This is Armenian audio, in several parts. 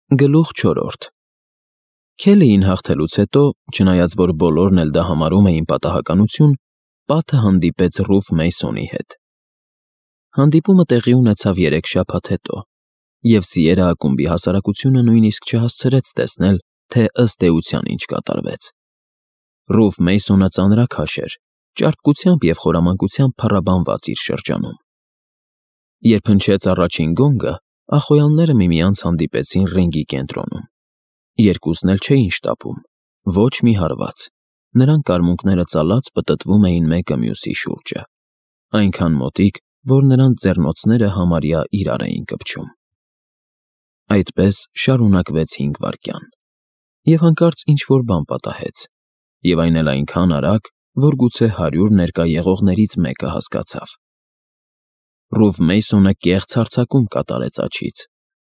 Գլուխ 4 Քելիին հաղթելուց հետո, չնայած որ բոլորն էլ դա համարում էին պատահականություն, Պատը հանդիպեց Ռուֆ Մեյսոնի հետ։ Հանդիպումը տեղի ունեցավ 3 շաբաթ հետո, և Սիերա ակումբի հասարակությունը նույնիսկ չհասցրեց տեսնել, թե ըստ էության ինչ կատարվեց։ Ռուֆ Մեյսոնը ծանրաքաշ էր, ճարպկությամբ և խորամանկությամբ փառաբանված իր շրջանում։ Երբ հնչեց առաջին գոնգը, ախոյանները միմյանց հանդիպեցին ռինգի կենտրոնում։ Երկուսն էլ չէին շտապում, ոչ մի հարված, նրանք արմունկները ծալած պտտվում էին մեկը մյուսի շուրջը, այնքան մոտիկ, որ նրանց ձեռնոցները համարյա իրար էին կպչում։ Այդպես շարունակվեց 5 վայրկյան, և հանկարծ ինչ-որ բան պատահեց, և այն էլ այնքան արագ, որ գուցե 100 ներկա եղողներից մեկը հասկացավ։ Ռուֆ Մեյսոնը կեղծ հարձակում կատարեց աջից։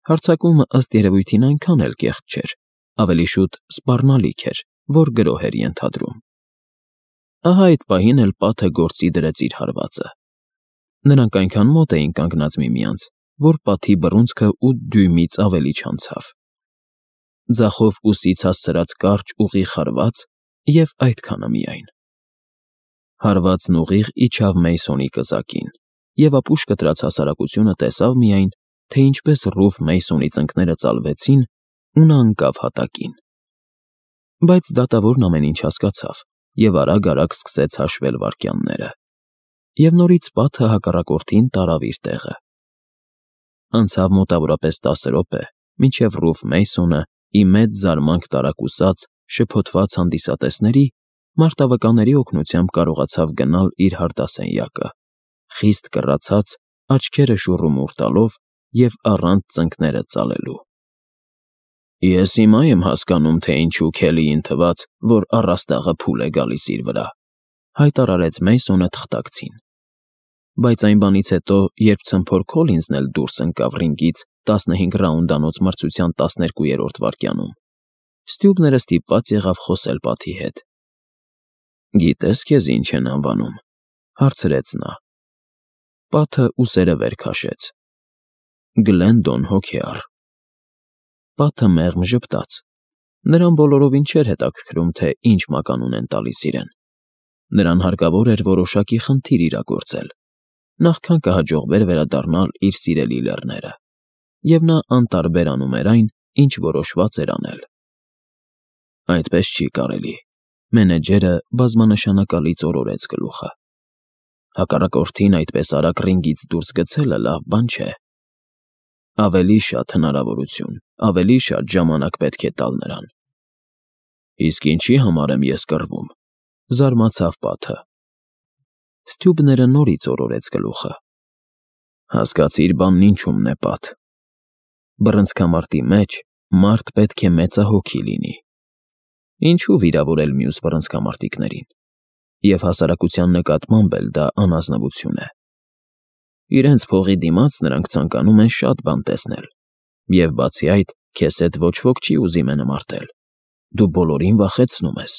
Հարձակումը ըստ երևույթին այնքան էլ կեղծ չէր, ավելի շուտ սպառնալիք էր, որ գրոհ էր ենթադրում։ Ահա այդ պահին էլ Պատը գործի դրեց իր հարվածը։ Նրանք այնքան մոտ էին կանգնած միմյանց, որ պատի բռունցքը 8 դյույմից ավելի չանցավ։ Ձախով ուսից հասցրած կարճ ուղիղ հարված և այդքանը միայն։ Հարվածն ուղիղ իջավ Մեյսոնի կզակին, և ապուշ կտրած հասարակությունը տեսավ միայն, թե ինչպես Ռուֆ Մեյսոնի ծնկները ծալվեցին ու նա ընկավ հատակին։ Բայց դատավորն ամեն ինչ հասկացավ և արագ-արագ սկսեց հաշվել վայրկյանները։ Եվ նորից Պատը հակառակորդին տարավ իր տեղը։ Անցավ մոտավորապես 10 րոպե, մինչև Ռուֆ Մեյսոնը, ի մեծ զարմանք տարակուսած, շփոթված հանդիսատեսների, մարտավականների օգնությամբ կարողացավ գնալ իր հարդասենյակը, խիստ կռացած, աչքերը շուռումուռ տալով և առանց ծնկները ծալելու։ «Ես հիմա եմ հասկանում, թե ինչու Քելիին թվաց, որ առաստաղը փուլ է գալիս իր վրա», հայտարարեց Մեյսոնը թղթակցին։ Բայց այն բանից հետո, երբ ցմփոր Քոլինզն էլ դուրս ընկավ ռինգից 15 ռաունդանոց մրցության 12-րդ վայրկյանում, Ստյուբները ստիպված եղավ խոսել Պատի հետ։ «Գիտե՞ս քեզ ինչ են անվանում», հարցրեց նա։ Պատը ուսերը վեր քաշեց։ «Գլենդոն Հոքեար»։ Պատը մեղմ ժպտաց։ Նրան բոլորովին չէր հետաքրքրում, թե ինչ մականուն են տալիս իրեն։ Նրան հարկավոր էր որոշակի խնդիր իրագործել, նախքան կհաջողվեր վերադառնալ իր սիրելի լեռները, և նա անտարբեր անում էր այն, ինչ որոշված էր անել։ «Այդպես չի կարելի», մենեջերը բազմանշանակալից օրորեց գլուխը։ «Հակառակորդին այդպես արագ ռինգից դուրս գցելը լավ բան չէ։ Ավելի շատ հնարավորություն, ավելի շատ ժամանակ պետք է տալ նրան»։ «Իսկ ինչի համար եմ ես կռվում», զարմացավ Պատը։ Ստյուբները նորից օրորեց գլուխը։ «Հասկացիր բանն ինչումն է, Պատ։ Բռնցքամարտի մեջ մարդ պետք է մեծահոգի լինի։ Ինչու վիրավորել մյուս բռնցքամարտիկներին, և հասարակության նկատմամբ էլ դա անազնվություն է։ Իրենց փողի դիմաց նրանք ցանկանում են շատ բան տեսնել, և բացի այդ, քեզ հետ ոչ ոք չի ուզի մենամարտել, դու բոլորին վախեցնում ես։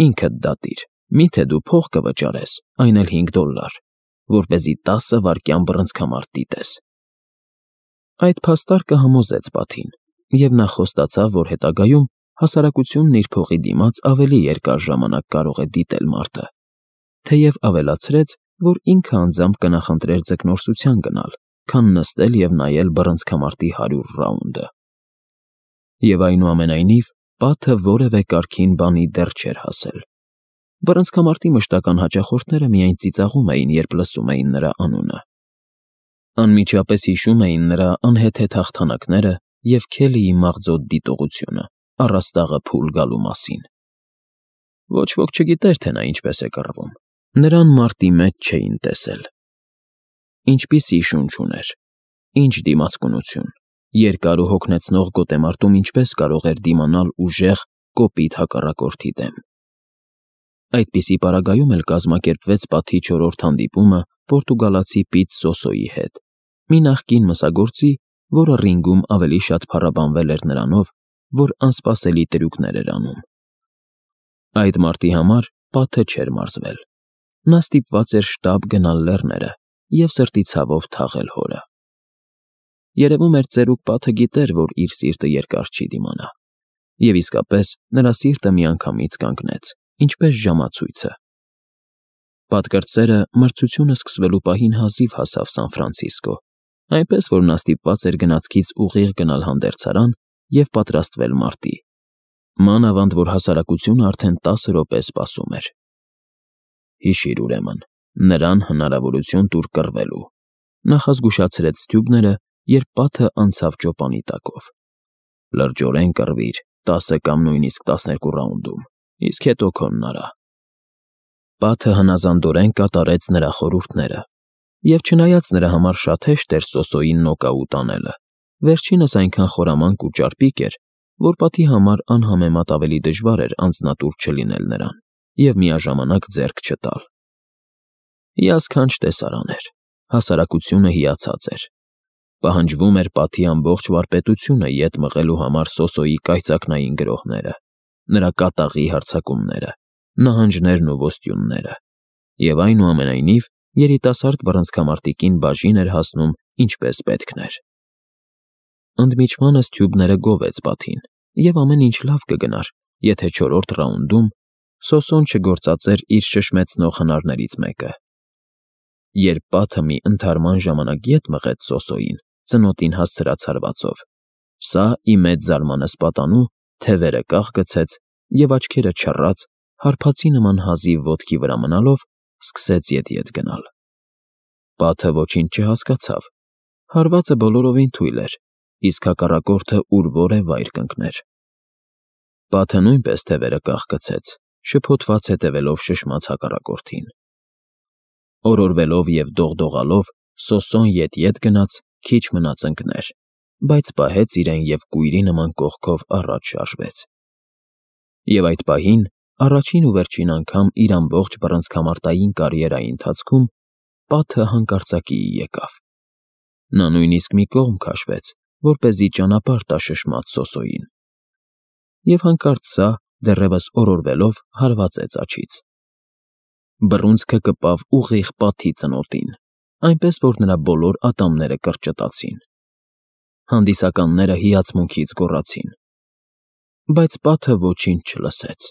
Ինքդ դատիր, միթե դու փող կվճարես, այն էլ $5, որպեսզի 10 վայրկյան բռնցքամարտ դիտես»։ Այդ փաստարկը համոզեց Պատին, և նա խոստացավ, որ հետագայում հասարակությունն իր փողի դիմաց ավելի երկար ժամանակ կարող է դիտել մարտը, թեև ավելացրեց, որ ինքը անձամբ կնախընտրեր ձկնորսության գնալ, քան նստել և նայել բռնցքամարտի 100 ռաունդը։ Եվ այնուամենայնիվ, Պատը որևէ կարգին բանի դեռ չէր հասել։ Բռնցքամարտի մշտական հաճախորդները միայն ծիծաղում էին, երբ լսում էին նրա անունը։ Անմիջապես հիշում էին նրա անհեթեթ հաղթանակները և Քելիի մաղձոտ դիտողությունը առաստաղը փուլ գալու մասին։ Ոչ ոք չգիտեր, թե նա ինչպես է կռվում։ Նրան մարտի մեջ չէին տեսել։ Ինչպիսի շունչ ուներ, ինչ դիմացկունություն, երկար ու հոգնեցնող գոտեմարտում ինչպես կարող էր դիմանալ ուժեղ, կոպիտ հակառակորդի դեմ։ Այդպիսի պարագայում էլ կազմակերպվեց Պատի 4-րդ հանդիպումը պորտուգալացի Պիտ Սոսոյի հետ, մի նախկին մսագործի, որը ռինգում ավելի շատ փառաբանվել էր նրանով, որ անսպասելի տրյուկներ էր անում։ Այդ մարտի համար Պատը չէր մարզվել։ Նա ստիպված էր շտապ գնալ լեռները և սրտի ցավով թաղել հորը։ երևում էր ծերուկ պատը գիտեր, որ իր սիրտը երկար չի դիմանա, և իսկապես նրա սիրտը միանգամից կանգնեց, ինչպես ժամացույցը։ Պատկրտսերը մրցությունը սկսվելու պահին հազիվ հասավ Սան Ֆրանցիսկո, այնպես որ նա ստիպված էր գնացքից ուղիղ գնալ հանդերձարան և պատրաստվել մարտի։ Մանավանդ որ հասարակությունը արդեն 10 րոպե սպասում էր։ Հիշիր ուրեմն, նրան հնարավորություն տուր կռվելու, նախազգուշացրեց Ստյուբները, երբ պատը անցավ ճոպանի տակով։ Լրջորեն կռվիր 10 կամ նույնիսկ 12 ռաունդում, իսկ հետո քոնն արա։ Պատը հնազանդորեն կատարեց նրա խորհուրդները, և չնայած նրա համար շատ հեշտ էր Սոսոյին նոկաուտ անելը, վերջինս այնքան խորամանկ ու ճարպիկ էր, որ պատի համար անհամեմատ ավելի դժվար էր անձնատուր չլինել նրան և միաժամանակ ձեռք չտալ։ Հիասքանչ տեսարան էր, հասարակությունը հիացած էր։ Պահանջվում էր պատի ամբողջ վարպետությունը ետ մղելու համար Սոսոյի կայծակնային գրոհները, նրա կատաղի հարձակումները, նահանջներն ու ոստյունները, և այնուամենայնիվ երիտասարդ բռնցքամարտիկին բաժին էր հասնում ինչպես պետքն էր։ Ընդմիջմանը Ստյուբները գովեց պատին, և ամեն ինչ լավ կգնար, եթե 4-րդ ռաունդում Սոսոն չգործածեր իր շշմեցնող հնարներից մեկը։ Երբ պատը մի ընդհարման ժամանակ ետ մղեց Սոսոյին, ծնոտին հասցրած հարվածով, սա ի մեծ զարմանս պատանու թևերը կախ գցեց և աչքերը չռած, հարբածի նման հազիվ ոտքի վրա մնալով, սկսեց ետ գնալ։ Պատը ոչինչ չհասկացավ, հարվածը բոլորովին թույլ էր, իսկ հակառակորդը ուր-որ է վայր կընկներ։ Պատը նույնպես թևերը կախ գցեց, շփոթված հետևելով շշմած հակառակորդին։ Օրորվելով և դողդողալով Սոսոն ետ գնաց, քիչ մնաց ընկներ, բայց պահեց իրեն և կույրի նման կողքով առաջ շարժվեց։ Եվ այդ պահին, առաջին ու վերջին անգամ իր ամբողջ բռնցքամարտային կարիերայի ընթացքում պատը հանկարծակիի եկավ։ Նա նույնիսկ մի կողմ քաշվեց, որպեսզի ճանապարհ տա շշմած Սոսոյին։ Եվ հանկարծ սա, դեռևս օրորվելով, հարվածեց աջից։ Բռունցքը կպավ ուղիղ պատի ծնոտին, այնպես որ նրա բոլոր ատամները կրճտացին։ Հանդիսականները հիացմունքից գոռացին։ Բայց պատը ոչինչ չլսեց։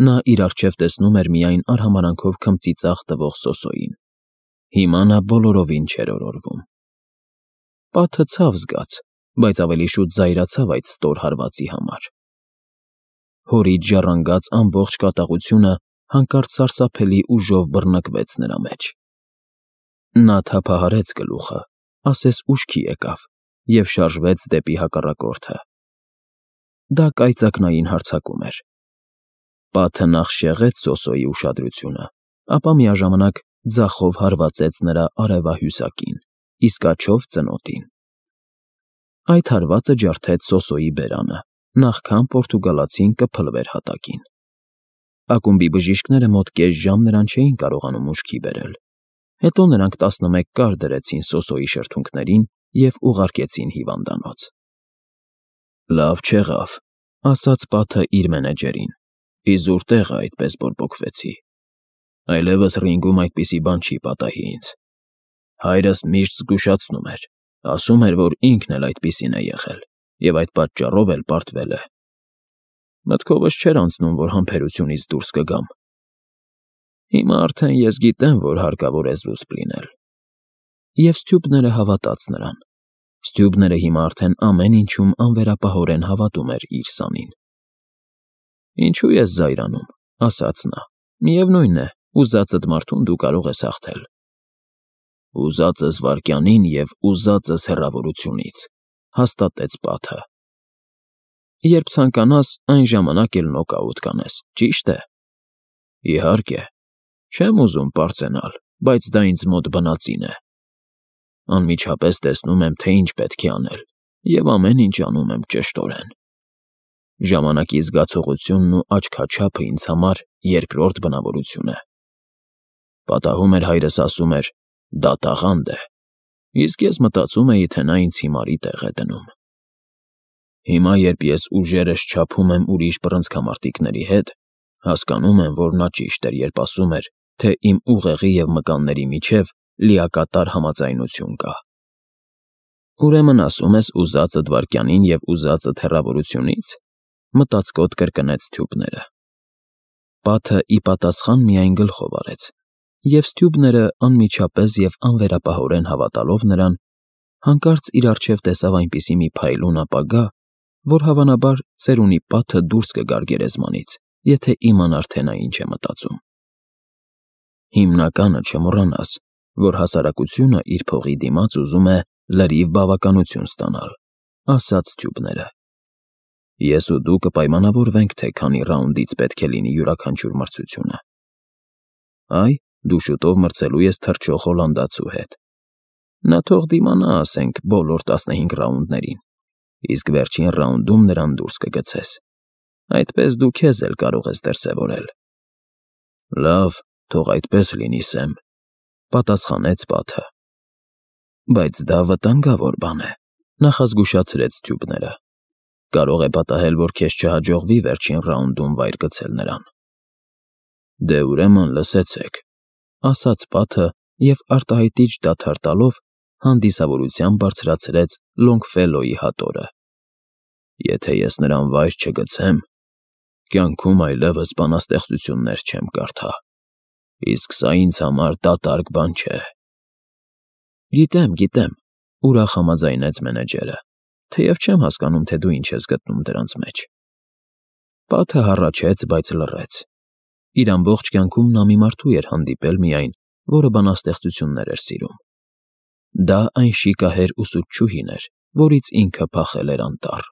Նա իր առջև տեսնում էր միայն արհամարանքով քմծիծաղ տվող Սոսոյին։ Հիմա նա բոլորովին չէր օրորվում։ Պատը ցավ զգաց, բայց ավելի շուտ զայրացավ այդ ստոր հարվածի համար։ Հորից ժառանգած ամբողջ կատաղությունը հանկարծ սարսափելի ուժով բռնկվեց նրա մեջ։ Նա թափահարեց գլուխը, ասես ուշքի եկավ, և շարժվեց դեպի հակառակորդը։ Դա կայծակնային հարձակում էր։ Պատը նախ շեղեց Սոսոյի ուշադրությունը, ապա միաժամանակ ձախով հարվածեց նրա արևահյուսակին, իսկ աջով ծնոտին։ Այդ հարվածը ջարդեց Սոսոյի բերանը, նախքան պորտուգալացին կփլվեր հատակին։ Ակումբի բժիշկները մոտ կես ժամ նրան չէին կարողանում ուշքի բերել։ Հետո նրանք 11 կար դրեցին Սոսոյի շրթունքներին և ուղարկեցին հիվանդանոց։ Լավ չեղավ, ասաց պատը իր մենեջերին։ Իզուր տեղ է այդպես բորբոքվեցի։ Այլևս ռինգում այդպիսի բան չի պատահի ինձ։ Հայրս միշտ զգուշացնում էր, ասում էր, որ ինքն էլ այդպիսին է եղել, և այդ պատճառով էլ պարտվել է։ Մտքովս չէր անցնում, որ համբերությունից դուրս կգամ։ Հիմա արդեն ես գիտեմ, որ հարկավոր է զուսպ լինել։ Եվ Ստյուբները հավատաց նրան։ Ստյուբները հիմա արդեն ամեն ինչում անվերապահորեն հավատում էր իր սանին։ Ինչու ես զայրանում, ասաց նա։ Միևնույն է, ուզածդ մարդուն դու կարող ես հաղթել։ Ուզածս վայրկյանին և ուզածս հեռավորությունից, հաստատեց պատը։ Երբ ցանկանաս, այն ժամանակ էլ նոկաուտ կանես, ճի՞շտ է։ Իհարկե, չեմ ուզում պարծենալ, բայց դա ինձ մոտ բնածին է։ Անմիջապես տեսնում եմ, թե ինչ պետք է անել, և ամեն ինչ անում եմ ճշտորեն։ Ժամանակի զգացողությունն ու աչքաչափը ինձ համար երկրորդ բնավորություն է։ Պատահում էր հայրս ասում էր. դա տաղանդ է, իսկ ես մտածում էի, թե նա ինձ հիմարի տեղ է դնում։ Հիմա, երբ ես ուժերս չափում եմ ուրիշ բռնցքամարտիկների հետ, հասկանում եմ, որ նա ճիշտ էր, երբ ասում էր, թե իմ ուղեղի և մկանների միջև լիակատար համաձայնություն կա։ Ուրեմն ասում ես ուզածդ վայրկյանին և ուզածդ հեռավորությունից, մտածկոտ կրկնեց Սթյուբները։ Պատը ի պատասխան միայն գլխով արեց, և Սթյուբները անմիջապես և անվերապահորեն հավատալով նրան, հանկարծ իր առջև տեսավ այնպիսի մի փայլուն ապագա, որ հավանաբար ծերունի պատը դուրս կգար գերեզմանից, եթե իմանար, թե նա ինչ է մտածում։ Հիմնականը չմոռանաս, որ հասարակությունը իր փողի դիմաց ուզում է լրիվ բավականություն ստանալ, ասաց Սթյուբները։ Ես ու դու կպայմանավորվենք, թե քանի ռաունդից պետք է լինի յուրաքանչյուր մրցությունը։ Այ, դու շուտով մրցելու ես թռչող հոլանդացու հետ։ Նա թող դիմանա, ասենք, բոլոր 15 ռաունդներին, իսկ վերջին ռաունդում նրան դուրս կգցես։ Այդպես դու քեզ էլ կարող ես դրսևորել։ Լավ, թող այդպես լինի, Սեմ, պատասխանեց պատը։ Բայց դա վտանգավոր բան է, նախազգուշացրեց Սթյուբները։ Կարող է պատահել, որ քեզ չհաջողվի վերջին ռաունդում վայր գցել նրան։ Դե ուրեմն լսեցեք, ասաց պատը և արտահայտիչ դադար տալով հանդիսավորությամբ բարձրացրեց Լոնգֆելլոյի հատորը։ Եթե ես նրան վայր չգցեմ, կյանքում այլևս բանաստեղծություններ չեմ կարդա, իսկ սա ինձ համար դատարկ բան չէ։ Գիտեմ, ուրախ համաձայնեց մենեջերը, թեև չեմ հասկանում, թե դու ինչ ես գտնում դրանց մեջ։ Պատը հառաչեց, բայց լռեց։ Իր ամբողջ կյանքում նա մի մարդու էր հանդիպել միայն, որը բանաստեղծություններ էր սիրում։ Դա այն շիկահեր ուսուցչուհին էր, որից ինքը փախել էր անտառ։